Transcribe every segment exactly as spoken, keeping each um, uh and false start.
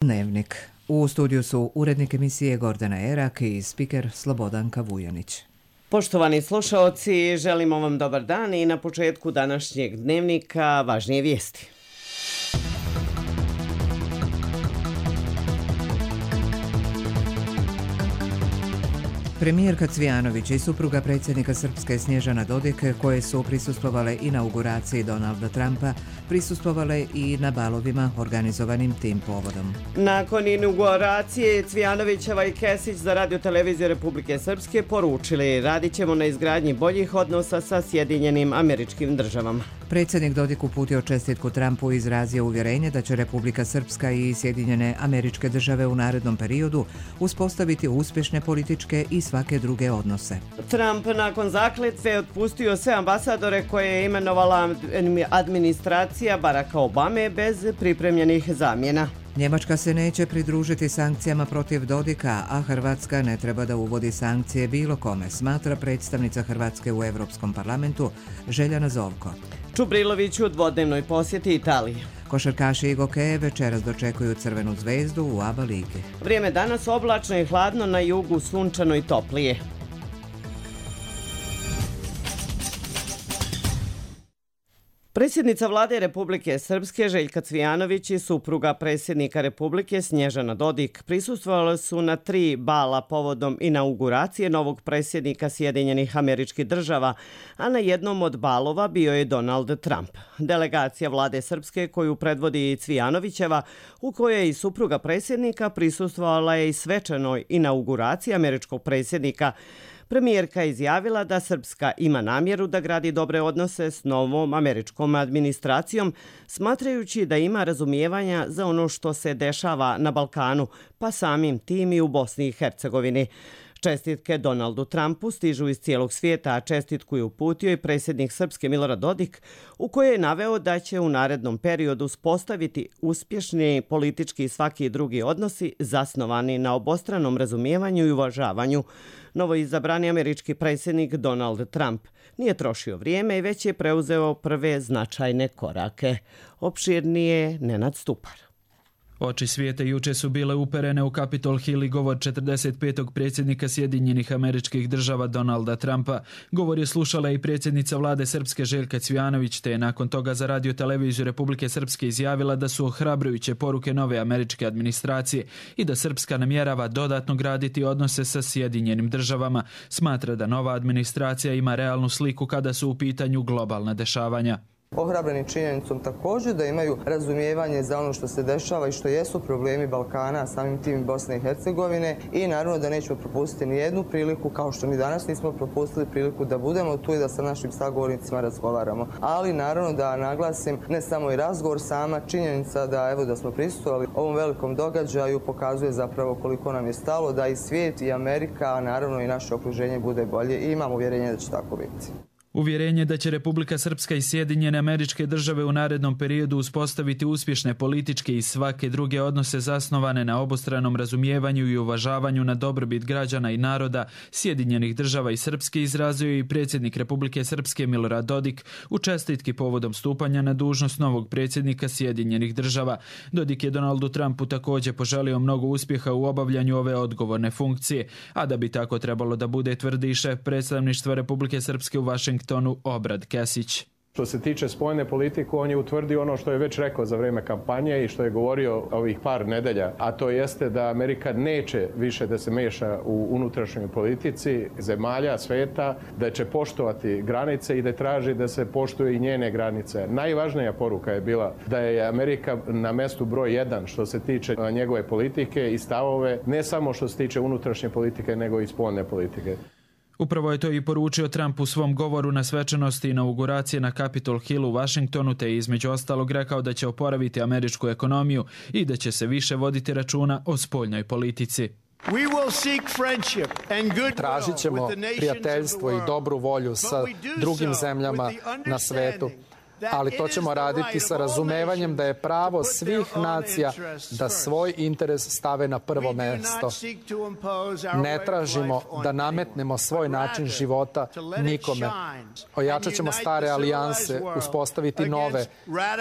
Dnevnik. U studiju su urednik emisije Gordana Erak i spiker Slobodanka Vujanić. Poštovani slušaoci, želimo vam dobar dan i na početku današnjeg dnevnika važnije vijesti. Premijerka Cvijanović i supruga predsjednika Srpske Snježana Dodik, koje su prisustvovale inauguraciji Donalda Trumpa, prisustvovale i na balovima organizovanim tim povodom. Nakon inauguracije Cvijanovićeva i Kesić za Radio televiziju Republike Srpske poručili: radit ćemo na izgradnji boljih odnosa sa Sjedinjenim Američkim Državama. Predsjednik Dodik uputio čestitku Trumpu i izrazio uvjerenje da će Republika Srpska i Sjedinjene Američke Države u narednom periodu uspostaviti uspješne političke i svake druge odnose. Trump nakon zakletve otpustio sve ambasadore koje je imenovala administracija Baracka Obame bez pripremljenih zamjena. Njemačka se neće pridružiti sankcijama protiv Dodika, a Hrvatska ne treba da uvodi sankcije bilo kome, smatra predstavnica Hrvatske u Europskom parlamentu Željana Zovko. Čubrilović u dvodnevnoj posjeti Italiji. Košarkaši i gokeje večeras dočekuju Crvenu zvezdu u A B A ligi. Vrijeme danas oblačno i hladno, na jugu sunčano i toplije. Predsjednica vlade Republike Srpske Željka Cvijanović i supruga predsjednika Republike Snježana Dodik prisustvovali su na tri bala povodom inauguracije novog predsjednika Sjedinjenih Američkih Država, a na jednom od balova bio je Donald Trump. Delegacija vlade Srpske koju predvodi Cvijanovićeva, u kojoj je i supruga predsjednika, prisustvovala je i svečanoj inauguraciji američkog predsjednika. Premijerka je izjavila da Srpska ima namjeru da gradi dobre odnose s novom američkom administracijom, smatrajući da ima razumijevanja za ono što se dešava na Balkanu, pa samim tim i u Bosni i Hercegovini. Čestitke Donaldu Trumpu stižu iz cijelog svijeta, a čestitku je uputio i predsjednik Srpske Milorad Dodik, u kojoj je naveo da će u narednom periodu uspostaviti uspješni politički i svaki drugi odnosi zasnovani na obostranom razumijevanju i uvažavanju. Novoizabrani američki predsjednik Donald Trump nije trošio vrijeme i već je preuzeo prve značajne korake. Opširnije Nenad Stupar. Oči svijeta juče su bile uperene u Capitol Hill i govor četrdeset petog predsjednika Sjedinjenih Američkih Država Donalda Trumpa. Govor je slušala i predsjednica vlade Srpske Željka Cvijanović, te je nakon toga za Radio televiziju Republike Srpske izjavila da su ohrabrujuće poruke nove američke administracije i da Srpska namjerava dodatno graditi odnose sa Sjedinjenim Državama. Smatra da nova administracija ima realnu sliku kada su u pitanju globalna dešavanja. Ohrabreni činjenicom također da imaju razumijevanje za ono što se dešava i što jesu problemi Balkana, samim tim Bosne i Hercegovine, i naravno da nećemo propustiti ni jednu priliku, kao što ni danas nismo propustili priliku da budemo tu i da sa našim sagovornicima razgovaramo. Ali naravno da naglasim, ne samo i razgovor, sama činjenica da evo da smo prisustvovali ovom velikom događaju pokazuje zapravo koliko nam je stalo da i svijet i Amerika, a naravno i naše okruženje bude bolje, i imam uvjerenje da će tako biti. Uvjerenje da će Republika Srpska i Sjedinjene Američke Države u narednom periodu uspostaviti uspješne političke i svake druge odnose zasnovane na obostranom razumijevanju i uvažavanju na dobrobit građana i naroda Sjedinjenih Država i Srpske izrazio i predsjednik Republike Srpske Milorad Dodik u čestitki povodom stupanja na dužnost novog predsjednika Sjedinjenih Država. Dodik je Donaldu Trumpu također poželio mnogo uspjeha u obavljanju ove odgovorne funkcije, a da bi tako trebalo da bude, tvrdi šef predstavništva Republike Srpske u Vašingtonu Obrad Kesić. Što se tiče spoljne politike, on je utvrdio ono što je već rekao za vrijeme kampanje i što je govorio ovih par nedelja, a to jeste da Amerika neće više da se meša u unutrašnjoj politici zemalja svijeta, da će poštovati granice i da traži da se poštuje i njene granice. Najvažnija poruka je bila da je Amerika na mjestu broj jedan što se tiče njegove politike i stavove, ne samo što se tiče unutrašnje politike, nego i spoljne politike. Upravo je to i poručio Trump u svom govoru na svečanosti inauguracije na Capitol Hill u Washingtonu, te je između ostalog rekao da će oporaviti američku ekonomiju i da će se više voditi računa o spoljnoj politici. Tražit ćemo prijateljstvo i dobru volju sa drugim zemljama na svetu, ali to ćemo raditi sa razumevanjem da je pravo svih nacija da svoj interes stave na prvo mesto. Ne tražimo da nametnemo svoj način života nikome. Ojačat ćemo stare alijanse, uspostaviti nove,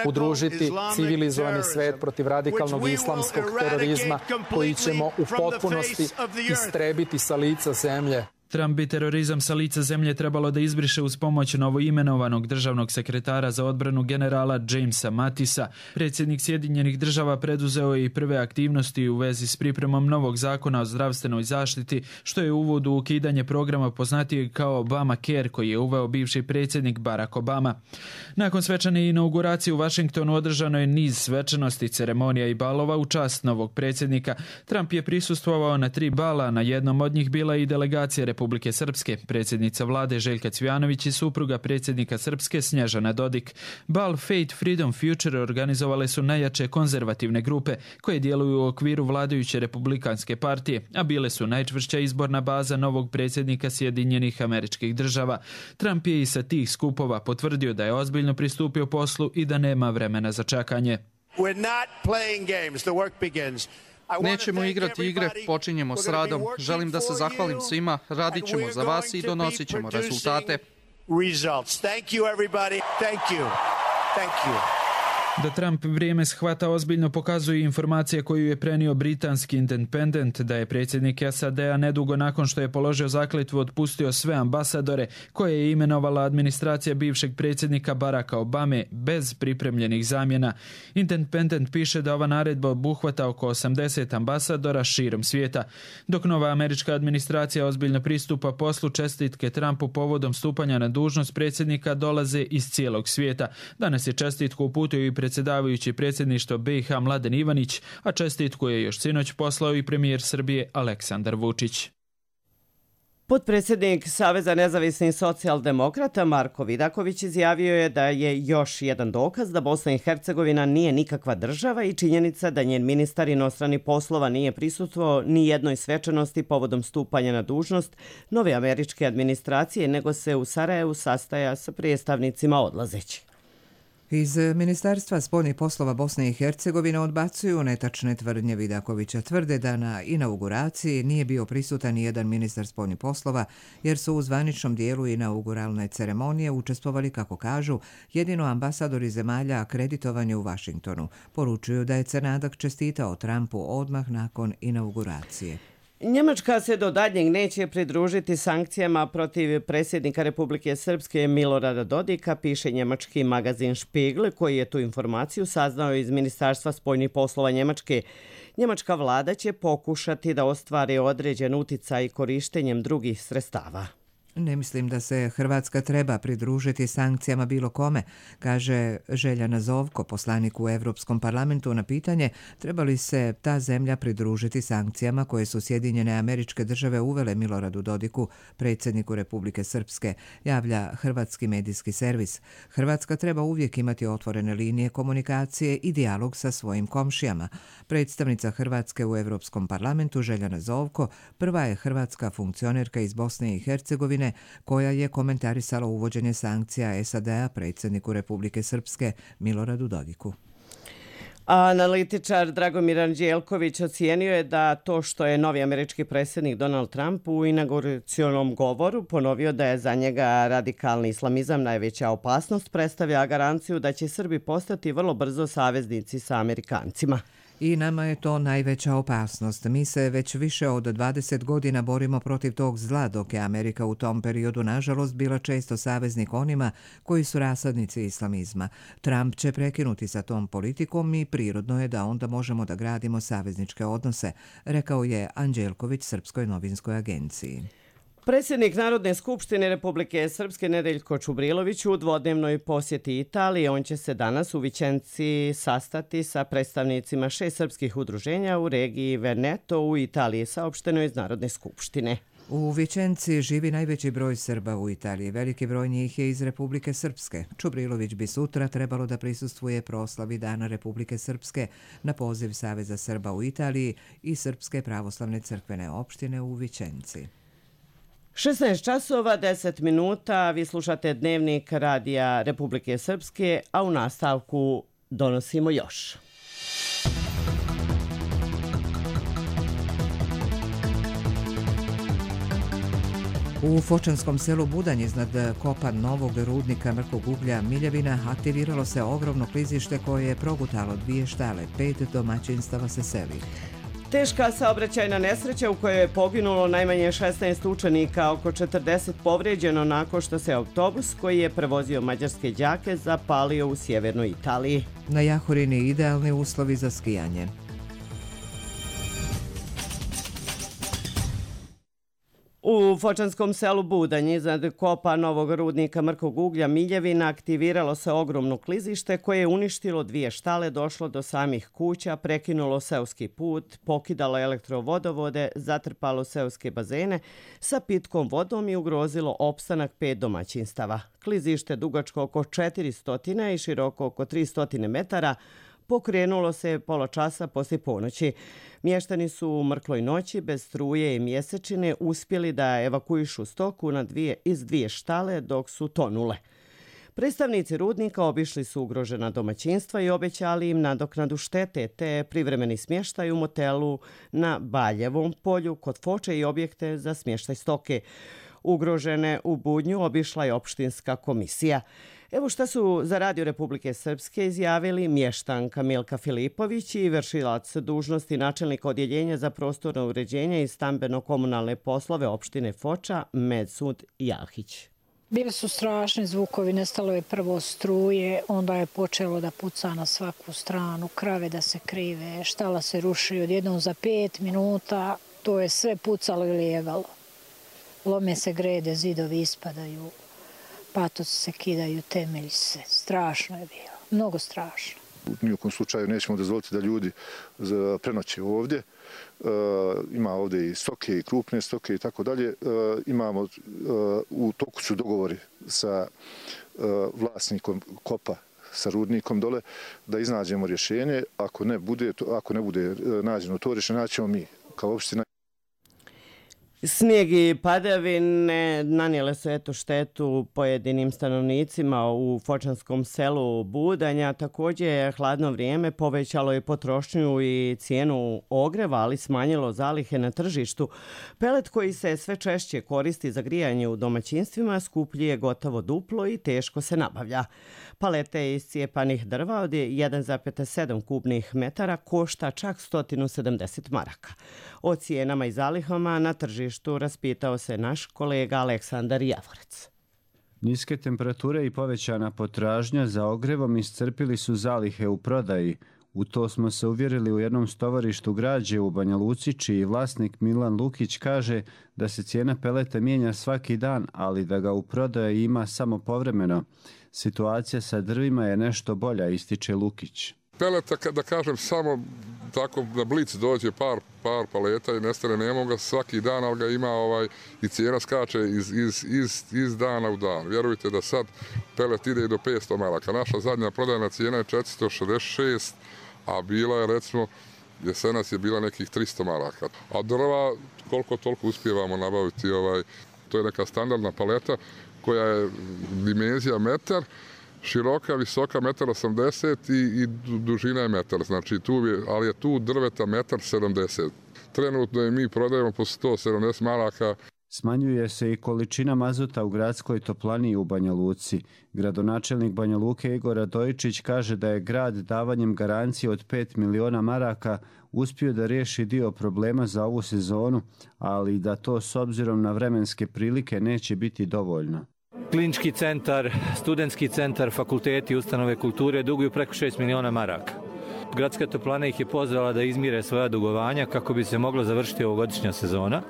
udružiti civilizovani svet protiv radikalnog islamskog terorizma koji ćemo u potpunosti istrebiti sa lica zemlje. Trump bi terorizam sa lica zemlje trebalo da izbriše uz pomoć novoimenovanog državnog sekretara za odbranu generala Jamesa Mattisa. Predsjednik Sjedinjenih država preduzeo je i prve aktivnosti u vezi s pripremom novog zakona o zdravstvenoj zaštiti, što je uvod u ukidanje programa poznatijeg kao Obamacare koji je uveo bivši predsjednik Barack Obama. Nakon svečane inauguracije u Vašingtonu održano je niz svečanosti, ceremonija i balova u čast novog predsjednika. Trump je prisustvovao na tri bala, na jednom od njih bila i delegacija Republike Srpske, predsjednica vlade Željka Cvijanović i supruga predsjednika Srpske Snježana Dodik. Bal Faith Freedom Future organizovale su najjače konzervativne grupe koje djeluju u okviru vladajuće republikanske partije, a bile su najčvršća izborna baza novog predsjednika Sjedinjenih Američkih Država. Trump je i sa tih skupova potvrdio da je ozbiljno pristupio poslu i da nema vremena za čekanje. We're not playing games. The work begins. Nećemo igrati igre, počinjemo s radom. Želim da se zahvalim svima, radit ćemo za vas i donosit ćemo rezultate. Da Trump vrijeme shvata ozbiljno pokazuje informacija koju je prenio britanski Independent da je predsjednik S A D-a nedugo nakon što je položio zakletvu otpustio sve ambasadore koje je imenovala administracija bivšeg predsjednika Baracka Obame bez pripremljenih zamjena. Independent piše da ova naredba obuhvata oko osamdeset ambasadora širom svijeta. Dok nova američka administracija ozbiljno pristupa poslu, čestitke Trumpu povodom stupanja na dužnost predsjednika dolaze iz cijelog svijeta. Danas je čestitku uputio i predsjedavajući predsjedništvo B i H Mladen Ivanić, a čestitku je još sinoć poslao i premijer Srbije Aleksandar Vučić. Potpredsjednik Saveza nezavisnih socijaldemokrata Marko Vidaković izjavio je da je još jedan dokaz da Bosna i Hercegovina nije nikakva država i činjenica da njen ministar inostranih poslova nije prisustvovao ni jednoj svečanosti povodom stupanja na dužnost nove američke administracije, nego se u Sarajevu sastaja sa predstavnicima odlazeći. Iz Ministarstva spoljnih poslova Bosne i Hercegovine odbacuju netačne tvrdnje Vidakovića. Tvrde da na inauguraciji nije bio prisutan ni jedan ministar spoljnih poslova, jer su u zvaničnom dijelu inauguralne ceremonije učestvovali, kako kažu, jedino ambasadori zemalja akreditovani u Vašingtonu. Poručuju da je Crnadak čestitao Trumpu odmah nakon inauguracije. Njemačka se do daljnjeg neće pridružiti sankcijama protiv predsjednika Republike Srpske Milorada Dodika, piše njemački magazin Spiegel, koji je tu informaciju saznao iz Ministarstva spoljnih poslova Njemačke. Njemačka vlada će pokušati da ostvari određen uticaj korištenjem drugih sredstava. Ne mislim da se Hrvatska treba pridružiti sankcijama bilo kome, kaže Željana Zovko, poslanik u Europskom parlamentu, na pitanje treba li se ta zemlja pridružiti sankcijama koje su Sjedinjene Američke Države uvele Miloradu Dodiku, predsjedniku Republike Srpske, javlja hrvatski medijski servis. Hrvatska treba uvijek imati otvorene linije komunikacije i dijalog sa svojim komšijama. Predstavnica Hrvatske u Europskom parlamentu Željana Zovko prva je hrvatska funkcionerka iz Bosne i Hercegovine koja je komentarisala uvođenje sankcija S A D-a predsjedniku Republike Srpske Miloradu Dodiku. Analitičar Dragomir Anđelković ocijenio je da to što je novi američki predsjednik Donald Trump u inauguracionom govoru ponovio da je za njega radikalni islamizam najveća opasnost, predstavlja garanciju da će Srbi postati vrlo brzo saveznici sa Amerikancima. I nama je to najveća opasnost. Mi se već više od dvadeset godina borimo protiv tog zla, dok je Amerika u tom periodu, nažalost, bila često saveznik onima koji su rasadnici islamizma. Trump će prekinuti sa tom politikom i prirodno je da onda možemo da gradimo savezničke odnose, rekao je Anđelković Srpskoj novinskoj agenciji. Predsjednik Narodne skupštine Republike Srpske Nedeljko Čubrilović u dvodnevnoj posjeti Italiji. On će se danas u Vičenci sastati sa predstavnicima šest srpskih udruženja u regiji Veneto u Italiji, saopšteno iz Narodne skupštine. U Vičenci živi najveći broj Srba u Italiji. Veliki broj njih je iz Republike Srpske. Čubrilović bi sutra trebalo da prisustvuje proslavi Dana Republike Srpske na poziv Saveza Srba u Italiji i Srpske pravoslavne crkvene opštine u Vičenci. šesnaest časova, deset minuta, vi slušate Dnevnik Radija Republike Srpske, a u nastavku donosimo još. U Fočanskom selu Budanj iznad kopa novog rudnika mrkog uglja Miljevina aktiviralo se ogromno klizište koje je progutalo dvije štale, pet domaćinstava se seli. Teška saobraćajna nesreća u kojoj je poginulo najmanje šesnaest učenika, oko četrdeset povrijeđeno nakon što se autobus koji je prevozio mađarske đake zapalio u sjevernoj Italiji. Na Jahorini idealni uslovi za skijanje. U Fočanskom selu Budanj iznad kopa novog rudnika mrkog uglja Miljevina aktiviralo se ogromno klizište koje je uništilo dvije štale, došlo do samih kuća, prekinulo seoski put, pokidalo elektrovodovode, zatrpalo seoske bazene sa pitkom vodom i ugrozilo opstanak pet domaćinstava. Klizište dugačko oko četiristo i široko oko tristo metara pokrenulo se pola časa poslije ponoći. Mještani su u mrkloj noći bez struje i mjesečine uspjeli da evakuišu stoku na dvije, iz dvije štale dok su tonule. Predstavnici rudnika obišli su ugrožena domaćinstva i obećali im nadoknadu štete te privremeni smještaj u motelu na Baljevom polju kod Foče i objekte za smještaj stoke. Ugrožene u Budnju obišla je opštinska komisija. Evo šta su za Radio Republike Srpske izjavili mještanka Milka Filipović i vršilac dužnosti načelnika odjeljenja za prostorno uređenje i stambeno-komunalne poslove opštine Foča Medsud Jahić. Bili su strašni zvukovi, nestalo je prvo struje, onda je počelo da puca na svaku stranu, krave da se krive, štala se ruši odjednom za pet minuta, to je sve pucalo i lijevalo. Lome se grede, zidovi ispadaju. Patoci se kidaju, temelji se. Strašno je bilo. Mnogo strašno. U nijekom slučaju nećemo dozvoliti da ljudi prenoće ovdje. E, ima ovdje i stoke i krupne stoke i tako dalje. E, imamo, e, u toku su dogovori sa e, vlasnikom kopa, sa rudnikom dole, da iznađemo rješenje. Ako ne bude, ako ne bude nađeno to rješenje, naćemo mi kao opština. Snijeg i padavine nanijele su eto štetu pojedinim stanovnicima u Fočanskom selu Budanja. Također hladno vrijeme povećalo je potrošnju i cijenu ogreva, ali smanjilo zalihe na tržištu. Pelet koji se sve češće koristi za grijanje u domaćinstvima skuplji je gotovo duplo i teško se nabavlja. Palete iz cijepanih drva od jedan zarez sedam kubnih metara košta čak sto sedamdeset maraka. O cijenama i zalihama na tržištu raspitao se naš kolega Aleksandar Javorec. Niske temperature i povećana potražnja za ogrevom iscrpili su zalihe u prodaji. U to smo se uvjerili u jednom stovarištu građe u Banja Luci, čiji vlasnik Milan Lukić kaže da se cijena peleta mijenja svaki dan, ali da ga u prodaji ima samo povremeno. Situacija sa drvima je nešto bolja, ističe Lukić. Peleta, da kažem, samo tako na blic dođe par, par paleta i nestane, nema ga svaki dan, ali ga ima ovaj, i cijena skače iz, iz, iz, iz dana u dan. Vjerujte da sad pelet ide i do petsto maraka. Naša zadnja prodajna cijena je četiristo šezdeset šest, a bila je, recimo, jesenas je bila nekih tristo maraka. A drva, koliko toliko uspijevamo nabaviti, ovaj, to je neka standardna paleta koja je dimenzija metar, široka, visoka metar osamdeset i, i dužina je metar, znači tu je, ali je tu drveta metar sedamdeset. Trenutno je mi prodajemo po sto sedamdeset maraka. Smanjuje se i količina mazuta u gradskoj toplani u Banja Luci. Gradonačelnik Banja Luke Igor Radojičić kaže da je grad davanjem garancije od pet miliona maraka uspio da riješi dio problema za ovu sezonu, ali da to s obzirom na vremenske prilike neće biti dovoljno. Klinički centar, studentski centar, fakulteti, ustanove kulture duguju preko šest miliona maraka. Gradska toplana ih je pozvala da izmire svoja dugovanja kako bi se moglo završiti ovogodišnja sezona.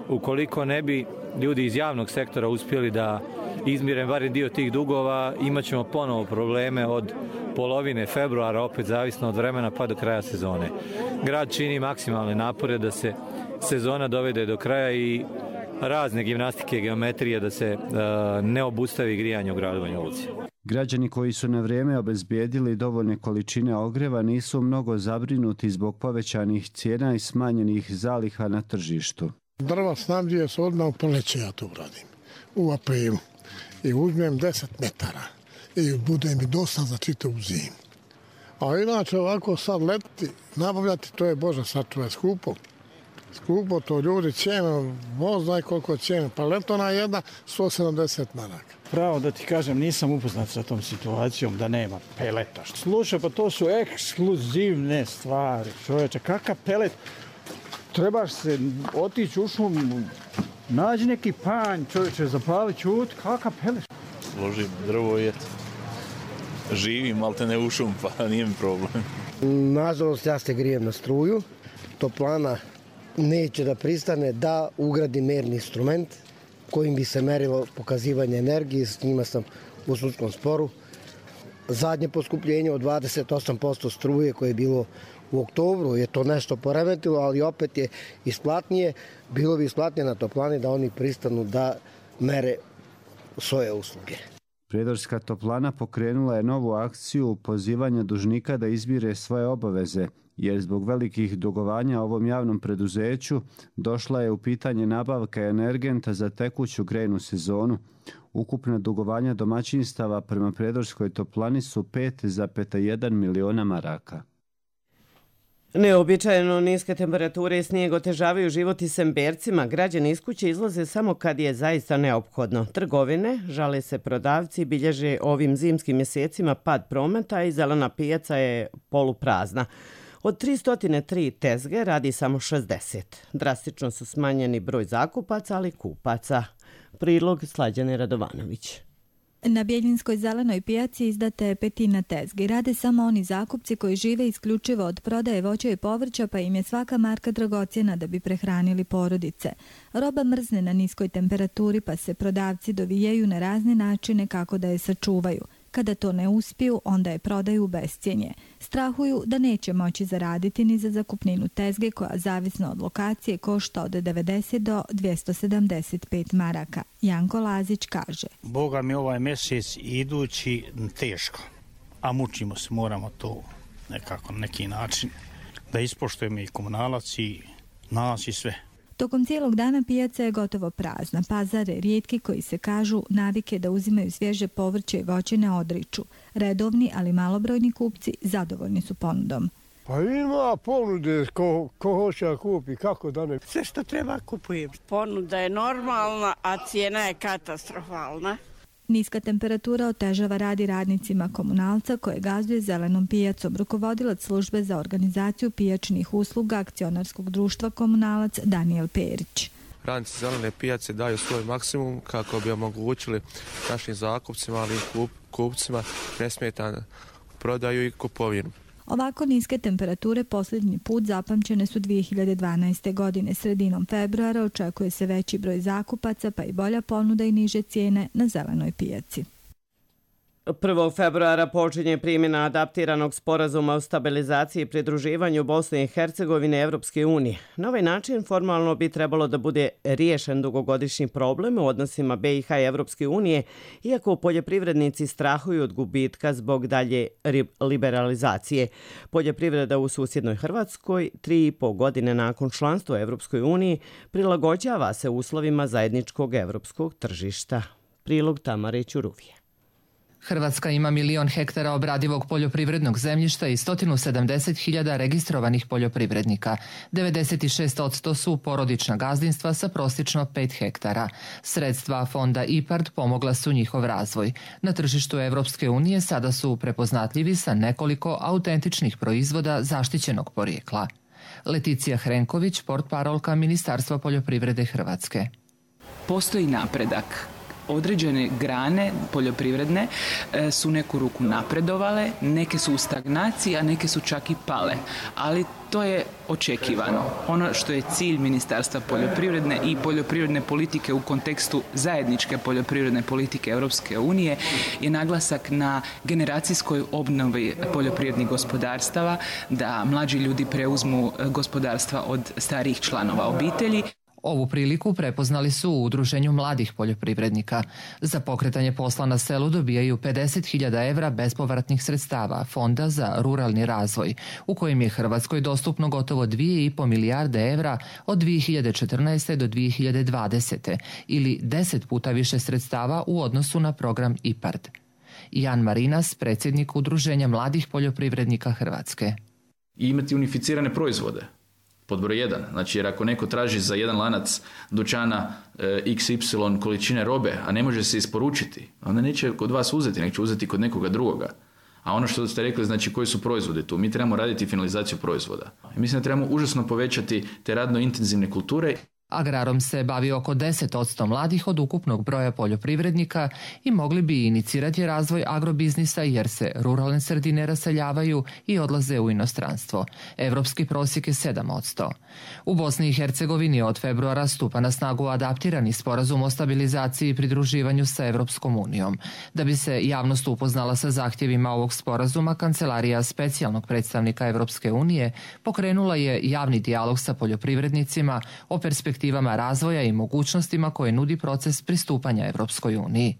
Ukoliko ne bi ljudi iz javnog sektora uspjeli da izmire barem dio tih dugova, imat ćemo ponovo probleme od polovine februara, opet zavisno od vremena, pa do kraja sezone. Grad čini maksimalne napore da se sezona dovede do kraja i razne gimnastike, geometrije, da se uh, ne obustavi grijanje u gradu Banja Luci. Građani koji su na vrijeme obezbijedili dovoljne količine ogreva nisu mnogo zabrinuti zbog povećanih cijena i smanjenih zaliha na tržištu. Drva snabdije se odmah u proleće, ja to uradim. U A P U. I uzmem deset metara. I bude mi dosta za čitavu zimu. A inače ovako sad leti, nabavljati, to je Bože sačuvaj skupo. Skupo, to ljudi cijene, voz znaj koliko cijene. Pa letona jedna, sto sedamdeset maraka. Pravo da ti kažem, nisam upoznat sa tom situacijom da nema peleta. Slušaj, pa to su ekskluzivne stvari. Čovječe, kakav pelet? Trebaš se otići u šumu, nađi neki panj, čovječe, zapali čut, kakav pelet? Složim drvo i eto. Živim, ali te ne u šum, pa nije mi problem. Nažalost, ja se grijem na struju. Toplana neće da pristane da ugradi merni instrument kojim bi se merilo pokazivanje energije. S njima sam u sudskom sporu. Zadnje poskupljenje od dvadeset osam posto struje koje je bilo u oktobru je to nešto poremetilo, ali opet je isplatnije. Bilo bi isplatnije na toplani da oni pristanu da mere svoje usluge. Prijedorska toplana pokrenula je novu akciju pozivanja dužnika da izmire svoje obaveze, jer zbog velikih dugovanja ovom javnom preduzeću došla je u pitanje nabavka energenta za tekuću grejnu sezonu. Ukupna dugovanja domaćinstava prema Prijedorskoj toplani su pet zarez jedan miliona maraka. Neobičajeno niske temperature i snijeg otežavaju život i Sembercima. Građani iz kuće izlaze samo kad je zaista neophodno. Trgovine, žale se prodavci, bilježe ovim zimskim mjesecima pad prometa i zelena pijaca je poluprazna. Od tristo tri tezge radi samo šezdeset. Drastično su smanjeni broj zakupaca, ali kupaca. Prilog Slađane Radovanović. Na Bjeljinskoj zelenoj pijaci izdata je petina tezgi. Rade samo oni zakupci koji žive isključivo od prodaje voća i povrća, pa im je svaka marka dragocjena da bi prehranili porodice. Roba mrzne na niskoj temperaturi, pa se prodavci dovijaju na razne načine kako da je sačuvaju. Kada to ne uspiju, onda je prodaju u bescjenje. Strahuju da neće moći zaraditi ni za zakupninu tezge koja, zavisno od lokacije, košta od devedeset do dvjesto sedamdeset pet maraka. Janko Lazić kaže: Boga mi ovaj mjesec idući teško, a mučimo se, moramo to nekako na neki način da ispoštujemo i komunalac i nas i sve. Tokom cijelog dana pijaca je gotovo prazna. Pazare rijetki koji se kažu navike da uzimaju svježe povrće i voće ne odriču. Redovni, ali malobrojni kupci zadovoljni su ponudom. Pa ima ponude, ko, ko hoće da kupi, kako da ne. Sve što treba kupujem. Ponuda je normalna, a cijena je katastrofalna. Niska temperatura otežava radi radnicima komunalca koje gazduje zelenom pijacom. Rukovodilac službe za organizaciju pijačnih usluga akcionarskog društva Komunalac Daniel Perić. Radnici zelene pijace daju svoj maksimum kako bi omogućili našim zakupcima, ali i kup, kupcima nesmetanu prodaju i kupovinu. Ovako niske temperature posljednji put zapamćene su dvije hiljade dvanaeste. godine. Sredinom februara očekuje se veći broj zakupaca, pa i bolja ponuda i niže cijene na zelenoj pijaci. prvog februara počinje primjena adaptiranog sporazuma o stabilizaciji i pridruživanju Bosne i Hercegovine Evropske unije. Na ovaj način formalno bi trebalo da bude riješen dugogodišnji problem u odnosima B i H i Evropske unije, iako poljoprivrednici strahuju od gubitka zbog dalje liberalizacije. Poljoprivreda u susjednoj Hrvatskoj, tri i po godine nakon članstva u Evropskoj uniji, prilagođava se uslovima zajedničkog evropskog tržišta. Prilog Tamare Ćuruvije. Hrvatska ima milion hektara obradivog poljoprivrednog zemljišta i sto sedamdeset hiljada registrovanih poljoprivrednika. devedeset šest posto su porodična gazdinstva sa prosječno pet hektara. Sredstva fonda I P A R D pomogla su njihov razvoj. Na tržištu Evropske unije sada su prepoznatljivi sa nekoliko autentičnih proizvoda zaštićenog porijekla. Leticija Hrenković, portparolka Ministarstva poljoprivrede Hrvatske. Postoji napredak. Određene grane poljoprivredne su neku ruku napredovale, neke su u stagnaciji, a neke su čak i pale. Ali to je očekivano. Ono što je cilj Ministarstva poljoprivredne i poljoprivredne politike u kontekstu zajedničke poljoprivredne politike Europske unije je naglasak na generacijskoj obnovi poljoprivrednih gospodarstava, da mlađi ljudi preuzmu gospodarstva od starijih članova obitelji. Ovu priliku prepoznali su u Udruženju mladih poljoprivrednika. Za pokretanje posla na selu dobijaju pedeset hiljada evra bespovratnih sredstava Fonda za ruralni razvoj, u kojem je Hrvatskoj dostupno gotovo dvije i po milijarde evra od dvije hiljade četrnaeste. do dvije hiljade dvadesete. ili deset puta više sredstava u odnosu na program I P A R D. Jan Marinas, predsjednik Udruženja mladih poljoprivrednika Hrvatske. I imati unificirane proizvode. Pod broj jedan. Znači, jer ako neko traži za jedan lanac dućana e, iks ipsilon količine robe, a ne može se isporučiti, onda neće kod vas uzeti, nek će uzeti kod nekoga drugoga. A ono što ste rekli, znači koji su proizvode tu? Mi trebamo raditi finalizaciju proizvoda. I mislim da trebamo užasno povećati te radno intenzivne kulture. Agrarom se bavi oko deset posto mladih od ukupnog broja poljoprivrednika i mogli bi inicirati razvoj agrobiznisa jer se ruralne sredine raseljavaju i odlaze u inostranstvo. Evropski prosjek je sedam posto. U Bosni i Hercegovini od februara stupa na snagu adaptirani sporazum o stabilizaciji i pridruživanju sa Evropskom unijom. Da bi se javnost upoznala sa zahtjevima ovog sporazuma, Kancelarija specijalnog predstavnika Evropske unije pokrenula je javni dijalog sa poljoprivrednicima o perspektivama razvoja i mogućnostima koje nudi proces pristupanja Evropskoj uniji.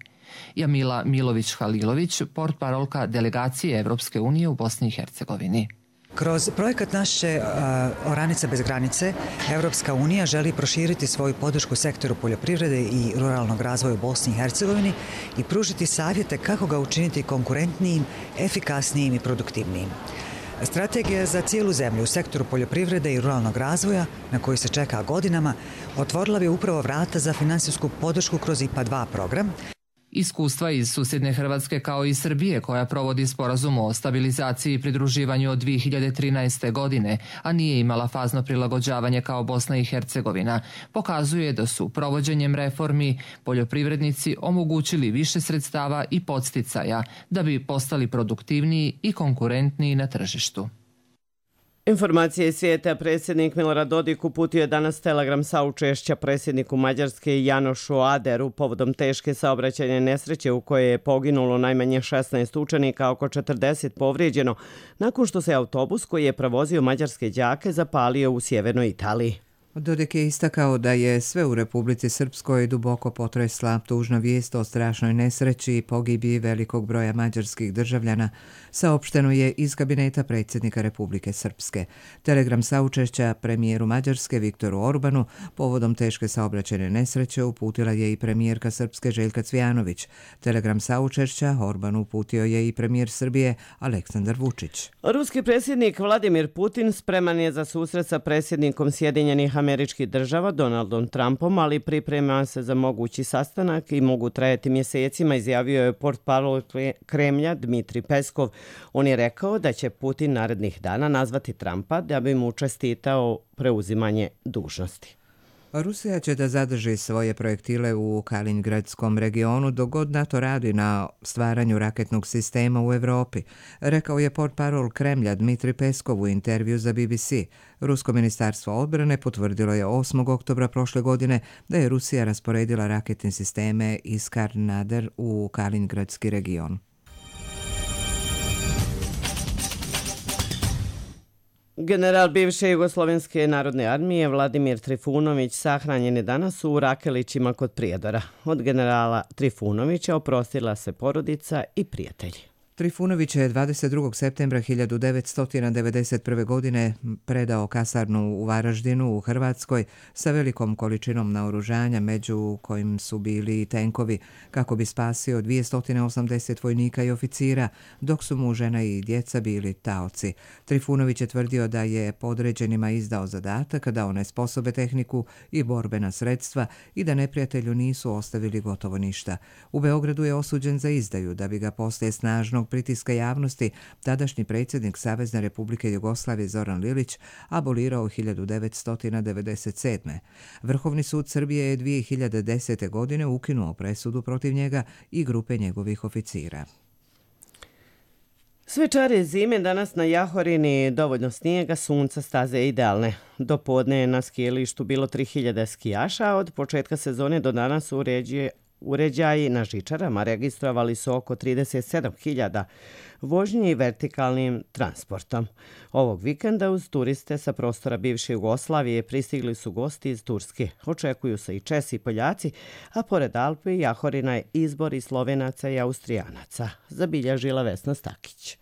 Jamila Milović-Halilović, portparolka delegacije Evropske unije u Bosni i Hercegovini. Kroz projekat naše uh, Oranica bez granice, Evropska unija želi proširiti svoju podršku sektoru poljoprivrede i ruralnog razvoja u Bosni i Hercegovini i pružiti savjete kako ga učiniti konkurentnijim, efikasnijim i produktivnijim. Strategija za cijelu zemlju u sektoru poljoprivrede i ruralnog razvoja, na koji se čeka godinama, otvorila bi upravo vrata za finansijsku podršku kroz I P A dva program. Iskustva iz susjedne Hrvatske kao i Srbije, koja provodi sporazum o stabilizaciji i pridruživanju od dvije hiljade trinaeste. godine, a nije imala fazno prilagođavanje kao Bosna i Hercegovina, pokazuje da su provođenjem reformi poljoprivrednici omogućili više sredstava i podsticaja da bi postali produktivniji i konkurentniji na tržištu. Informacije iz svijeta. Predsjednik Milorad Dodik uputio je danas telegram saučešća predsjedniku Mađarske Janošu Aderu povodom teške saobraćajne nesreće u kojoj je poginulo najmanje šesnaest učenika, oko četrdeset povrijeđeno, nakon što se autobus koji je prevozio mađarske đake zapalio u sjevernoj Italiji. Dodik je istakao da je sve u Republici Srpskoj duboko potresla tužna vijest o strašnoj nesreći i pogibiji velikog broja mađarskih državljana, saopšteno je iz kabineta predsjednika Republike Srpske. Telegram saučešća premijeru Mađarske Viktoru Orbanu povodom teške saobraćajne nesreće uputila je i premijerka Srpske Željka Cvijanović. Telegram saučešća Orbanu uputio je i premijer Srbije Aleksandar Vučić. Ruski predsjednik Vladimir Putin spreman je za susret sa predsjednikom Sjedinjenih Američkih država Donaldom Trumpom, ali priprema se za mogući sastanak i mogu trajati mjesecima, izjavio je portparol Kremlja Dmitri Peskov. On je rekao da će Putin narednih dana nazvati Trumpa da bi mu čestitao preuzimanje dužnosti. Rusija će da zadrži svoje projektile u Kaliningradskom regionu dok god NATO radi na stvaranju raketnog sistema u Evropi, rekao je portparol Kremlja Dmitri Peskov u intervju za B B C. Rusko ministarstvo odbrane potvrdilo je osmog oktobra prošle godine da je Rusija rasporedila raketne sisteme Iskar-Nader u Kaliningradski region. General bivše Jugoslovenske narodne armije Vladimir Trifunović sahranjen je danas u Rakelićima kod Prijedora. Od generala Trifunovića oprostila se porodica i prijatelji. Trifunović je dvadeset drugog septembra hiljadu devetsto devedeset prve. godine predao kasarnu u Varaždinu u Hrvatskoj sa velikom količinom naoružanja, među kojim su bili i tenkovi, kako bi spasio dvjesto osamdeset vojnika i oficira, dok su mu žena i djeca bili taoci. Trifunović je tvrdio da je podređenima izdao zadatak da onesposobe tehniku i borbena sredstva i da neprijatelju nisu ostavili gotovo ništa. U Beogradu je osuđen za izdaju, da bi ga poslije snažnog pritiska javnosti tadašnji predsjednik Savezne Republike Jugoslavije Zoran Lilić abolirao hiljadu devetsto devedeset sedme. Vrhovni sud Srbije je dvije hiljade desete. godine ukinuo presudu protiv njega i grupe njegovih oficira. Sve čare zime, danas na Jahorini dovoljno snijega, sunca, staze idealne. Do podne je na skijalištu bilo tri hiljade skijaša, a od početka sezone do danas uređuje Uređaji na žičarama registrovali su oko trideset sedam hiljada vožnji vertikalnim transportom. Ovog vikenda uz turiste sa prostora bivše Jugoslavije pristigli su gosti iz Turske. Očekuju se i Česi i Poljaci, a pored Alpi i Jahorina je izbor i Slovenaca i Austrijanaca, zabilježila Vesna Stakić.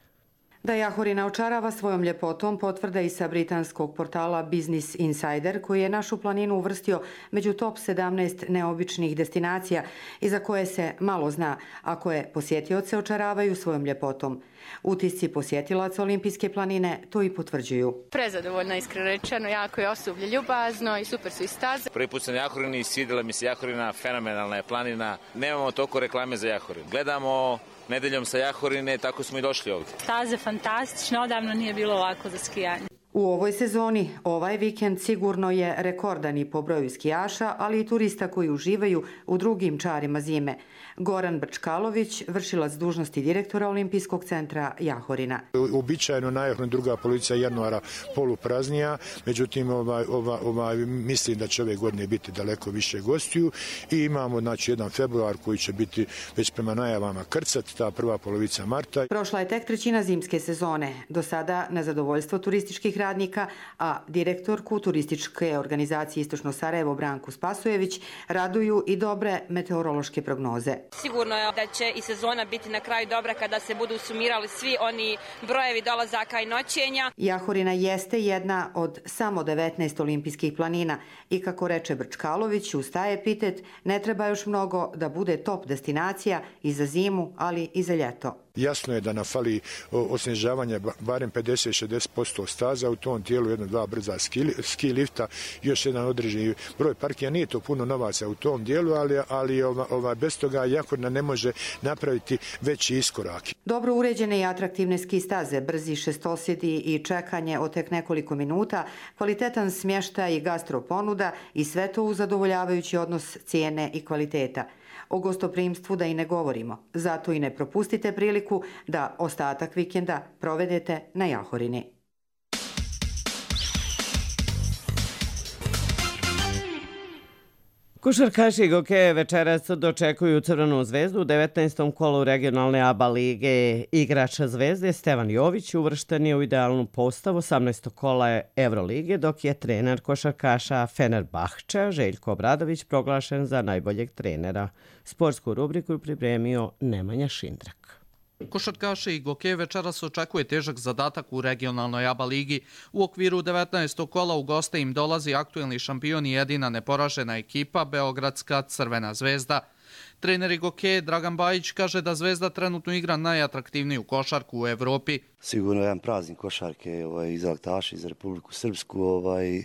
Da Jahorina očarava svojom ljepotom potvrda i sa britanskog portala Business Insider, koji je našu planinu uvrstio među top sedamnaest neobičnih destinacija i za koje se malo zna, a koje posjetioce očaravaju svojom ljepotom. Utisci posjetilaca Olimpijske planine to i potvrđuju. Prezadovoljno, iskreno rečeno, jako je osoblje ljubazno i super su i staze. Prvi put sam na Jahorini i svidjela mi se Jahorina, fenomenalna je planina. Nemamo toliko reklame za Jahorin. Gledamo nedeljom sa Jahorine, tako smo i došli ovdje. Staze fantastične, odavno nije bilo ovako za skijanje. U ovoj sezoni ovaj vikend sigurno je rekordan i po broju skijaša, ali i turista koji uživaju u drugim čarima zime. Goran Brčkalović, vršilac dužnosti direktora Olimpijskog centra Jahorina. Uobičajeno na Jahorini druga polovica januara polupraznija, međutim ovaj, ovaj, ovaj, mislim da će ove godine biti daleko više gostiju i imamo znači, jedan februar koji će biti već prema najavama krcat, ta prva polovica marta. Prošla je tek trećina zimske sezone. Do sada na zadovoljstvo turističkih radnika, a direktorku turističke organizacije Istočno Sarajevo Branku Spasojević raduju i dobre meteorološke prognoze. Sigurno je da će i sezona biti na kraju dobra kada se budu sumirali svi oni brojevi dolazaka i noćenja. Jahorina jeste jedna od samo devetnaest olimpijskih planina i kako reče Brčkalović, uz taj epitet ne treba još mnogo da bude top destinacija i za zimu, ali i za ljeto. Jasno je da nam fali osnježavanja barem pedeset do šezdeset posto staza u tom dijelu, jedno dva brza ski, ski lifta, još jedan određeni broj parkija. Nije to puno novaca u tom dijelu, ali, ali ova, ova, bez toga Jahorina ne može napraviti veći iskorak. Dobro uređene i atraktivne ski staze, brzi šestosjedi i čekanje od tek nekoliko minuta, kvalitetan smještaj i gastroponuda i sve to uz zadovoljavajući odnos cijene i kvaliteta. O gostoprimstvu da i ne govorimo, zato i ne propustite priliku da ostatak vikenda provedete na Jahorini. Košarkaši Gokeje večeras dočekuju Crvenu zvezdu u devetnaestom kolu regionalne A B A lige. Igrač Zvezde Stevan Jović uvršten je u idealnu postavu osamnaestog kola Evrolige, dok je trener košarkaša Fenerbahčea Željko Obradović proglašen za najboljeg trenera. Sportsku rubriku je pripremio Nemanja Šindrak. Košarkaši Gokeje večeras očekuje težak zadatak u regionalnoj A B A ligi. U okviru devetnaestog kola u goste im dolazi aktuelni šampion i jedina neporažena ekipa Beogradska Crvena zvezda. Trener Gokeje Dragan Bajić kaže da Zvezda trenutno igra najatraktivniju košarku u Evropi. Sigurno jedan praznik košarke ovaj, iz Altaša, iz Republiku Srpsku. Ovaj,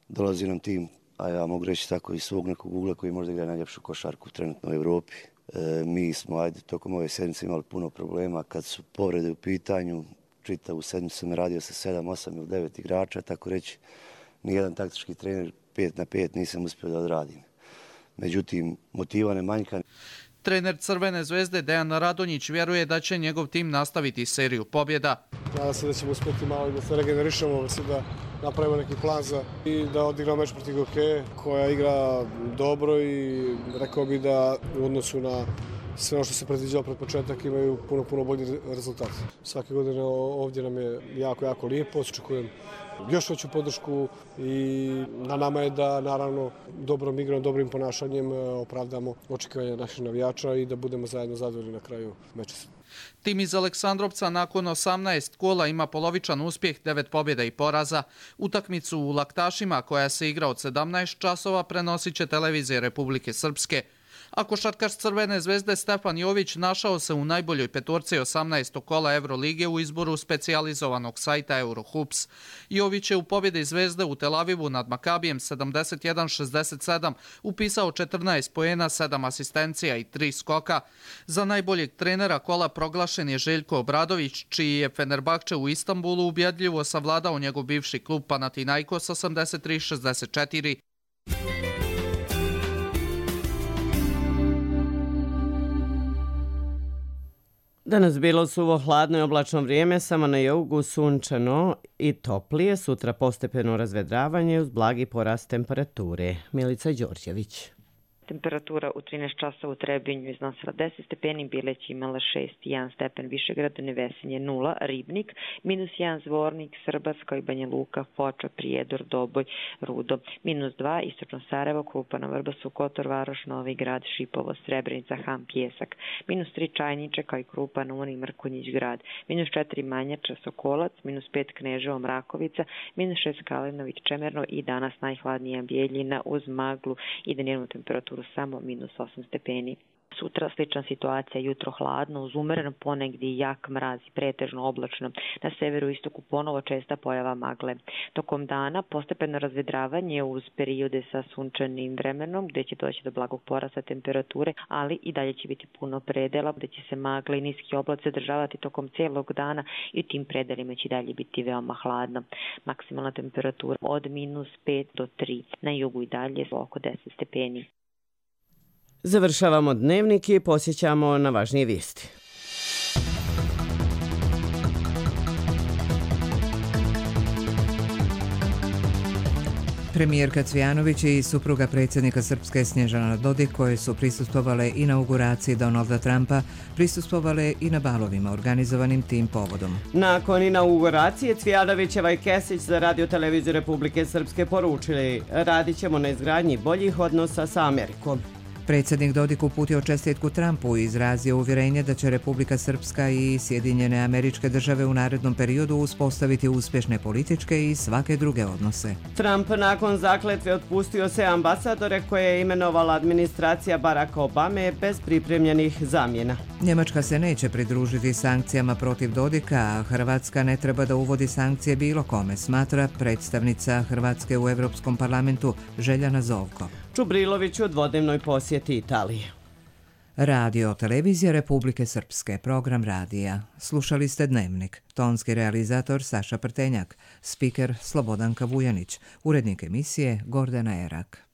dolazi nam tim, a ja mogu reći tako, iz svog nekog ugla koji možda igra najljepšu košarku trenutno u Evropi. E, mi smo, ajde, tokom ove sedmice imali puno problema kad su povrede u pitanju. Čitavu sedmicu sam radio sa sedam, osam ili devet igrača, tako reći, nijedan taktički trener pet na pet nisam uspio da odradim. Međutim, motiva ne manjka. Trener Crvene zvezde Dejan Radonjić vjeruje da će njegov tim nastaviti seriju pobjeda. Nadam se da ćemo uspjeti malo i da se regenerišemo, da napravimo neki plan za i da odigramo meč protiv Gokeje, koja igra dobro i rekao bi da u odnosu na sve ono što se predviđalo pred početak imaju puno, puno bolji rezultat. Svake godine ovdje nam je jako, jako lijepo, očekujem još veću podršku i na nama je da naravno dobrom igrom, dobrim ponašanjem opravdamo očekivanje naših navijača i da budemo zajedno zadovoljni na kraju meča. Tim iz Aleksandrovca nakon osamnaest kola ima polovičan uspjeh, devet pobjeda i poraza. Utakmicu u Laktašima koja se igra od sedamnaest časova prenosit će televizije Republike Srpske. A košarkaš Crvene zvezde Stefan Jović našao se u najboljoj petorci osamnaestog kola Evrolige u izboru specijalizovanog sajta Eurohoops. Jović je u pobjedi Zvezde u Tel Avivu nad Makabijem sedamdeset jedan šezdeset sedam upisao četrnaest poena, sedam asistencija i tri skoka. Za najboljeg trenera kola proglašen je Željko Obradović, čiji je Fenerbahče u Istanbulu ubjedljivo savladao njegov bivši klub Panathinaikos osamdeset tri šezdeset četiri. Danas bilo suvo, hladno i oblačno vrijeme, samo na jugu sunčano i toplije, sutra postepeno razvedravanje uz blagi porast temperature. Milica Đorđević. Temperatura u trinaest časova u Trebinju iznosila deset stepeni, Bileć imala šest i jedan stepen, Višegrad, Nevesinje nula, Ribnik, minus jedan Zvornik, Srbac, kao i Banja Luka, Foča, Prijedor, Doboj, Rudo, minus dva Istočno Sarajevo, Krupana, Vrbasu, Kotor, Varoš, Novi Grad, Šipovo, Srebrenica, Ham, Pjesak, minus tri Čajniče, kao i Krupan, Unik, Mrkonjić grad, minus četiri Manjača, Sokolac, minus pet Kneževo, Mrakovica, minus šest Kalinović, Čemerno i danas najhladnija Bijeljina uz maglu i dnevnu temperaturu samo minus osam stepeni. Sutra slična situacija, jutro hladno, uz umeren ponegdje jak mraz i pretežno oblačno. Na severu i istoku ponovo česta pojava magle. Tokom dana postepeno razvedravanje uz periode sa sunčanim vremenom, gdje će doći do blagog porasta temperature, ali i dalje će biti puno predela, gdje će se magle i niski oblaci zadržavati tokom cijelog dana i u tim predelima će dalje biti veoma hladno. Maksimalna temperatura od minus pet do tri, na jugu i dalje oko deset stepeni. Završavamo dnevnik i posjećamo na važnije vijesti. Premijerka Cvijanović i supruga predsjednika Srpske Snježana Dodik, koje su prisustvovale inauguraciji Donalda Trumpa, prisustvovale i na balovima organizovanim tim povodom. Nakon inauguracije Cvijanovićeva i Kesić za Radio Televiziju Republike Srpske poručili: radit ćemo na izgradnji boljih odnosa sa Amerikom. Predsjednik Dodik uputio čestitku Trumpu i izrazio uvjerenje da će Republika Srpska i Sjedinjene Američke Države u narednom periodu uspostaviti uspješne političke i svake druge odnose. Trump nakon zakletve otpustio se ambasadore koje je imenovala administracija Baracka Obame bez pripremljenih zamjena. Njemačka se neće pridružiti sankcijama protiv Dodika, a Hrvatska ne treba da uvodi sankcije bilo kome, smatra predstavnica Hrvatske u Europskom parlamentu Željana Zovko. Čubrilović u dvodnevnoj posjeti Italije. Radio Televizija Republike Srpske, program radija. Slušali ste Dnevnik. Tonski realizator Saša Prtenjak, spiker Slobodanka Vujanić, urednik emisije Gordana Erak.